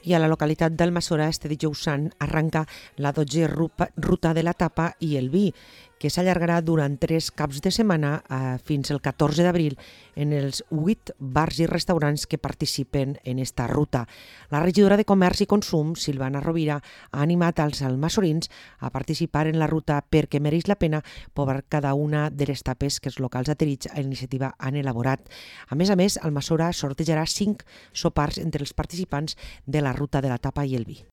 I a la localitat d'Almassora este dijous sant arranca la 12a ruta de la tapa i el vi, que s'allargarà durant 3 caps de setmana fins al 14 d'abril en els 8 bars i restaurants que participen en esta ruta. La regidora de Comerç i Consum, Silvana Rovira, ha animat als almassorins a participar en la ruta perquè mereix la pena provar cada una de les tapes que els locals adherits a la iniciativa han elaborat. A més, Almassora sortejarà 5 sopars entre els participants de la ruta de la tapa i el vi.